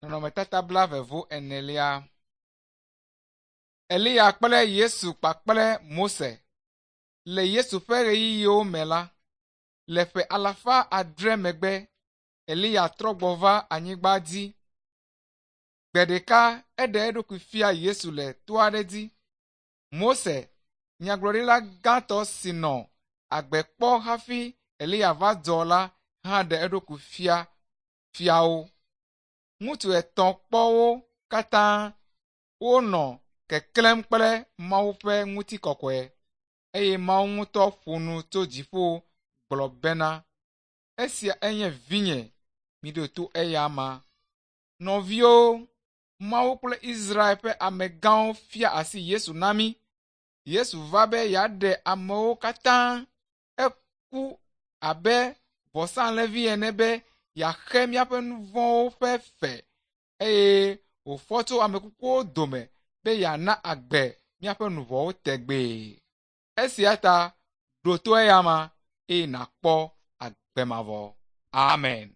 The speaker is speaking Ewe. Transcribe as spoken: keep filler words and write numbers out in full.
Nɔnɔmetata blaeve vo enelia. Eliya kple Yesu kpakple Mose. Le Yesu ƒe ɣeyiɣiwo me la, le ƒe alafa adre megbe, Eliya trɔ gbɔ va anyigba dzi. Gbe ɖeka eɖe eɖokui fia Yesu le to aɖe dzi. Mose, nyagblɔɖila gãtɔ si nɔ agbe kpɔ hafi Eliya va dzɔ la hã ɖe eɖokui fia fia wo. Ŋutsu etɔ̃ kpɔ wo katã wonɔ keklẽm kple Mawu ƒe ŋutikɔkɔe eye Mawu ŋutɔ ƒo nu tso dziƒo gblɔ bena, “Esia enye vinye, miɖo to eya amea.” Nɔviwo, Mawu kple Israel ƒe amegãwo fia asi Yesu na mí. Yesu va be yeaɖe amewo katã. Eku abe vɔsalẽvi ene be yeaxe míaƒe nu vɔ̃wo ƒe fe eye wòfɔ tso ame kukuwo dome be yeana agbe míaƒe luʋɔwo tegbee. Esia ta ɖo to eyama eye nàkpɔ agbe mavɔ. Amen.